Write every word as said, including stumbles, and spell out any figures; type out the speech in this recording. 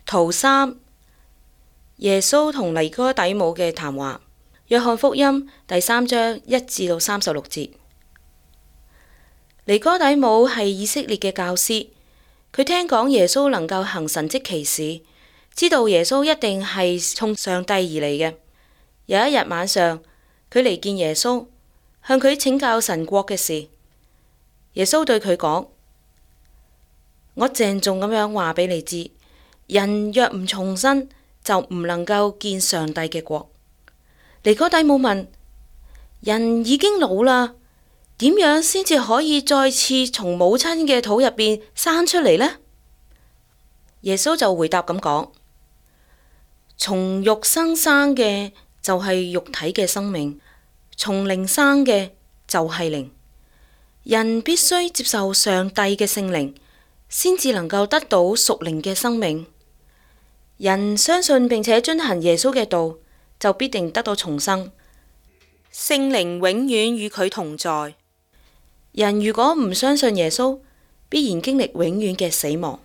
圖三，耶穌同尼哥底母嘅談話。約翰福音第三章一至到三十六節。尼哥底母係以色列嘅教師，佢聽講耶穌能夠行神蹟奇事，知道耶穌一定係從上帝而嚟嘅。有一日晚上，佢嚟見耶穌，向佢請教神國嘅事。耶穌對佢講：我鄭重咁樣話俾你知，人若唔重生，就唔能夠見上帝嘅國。尼哥底母問：人已經老啦，點樣先至可以再次從母親嘅肚入邊生出嚟呢？耶穌就回答咁講：從肉身生嘅就係肉體嘅生命，從靈生嘅就係靈。人必須接受上帝嘅聖靈，先至能夠得到屬靈嘅生命。人相信並且遵行耶穌嘅道，就必定得到重生。聖靈永遠與佢同在。人如果唔相信耶穌，必然經歷永遠嘅死亡。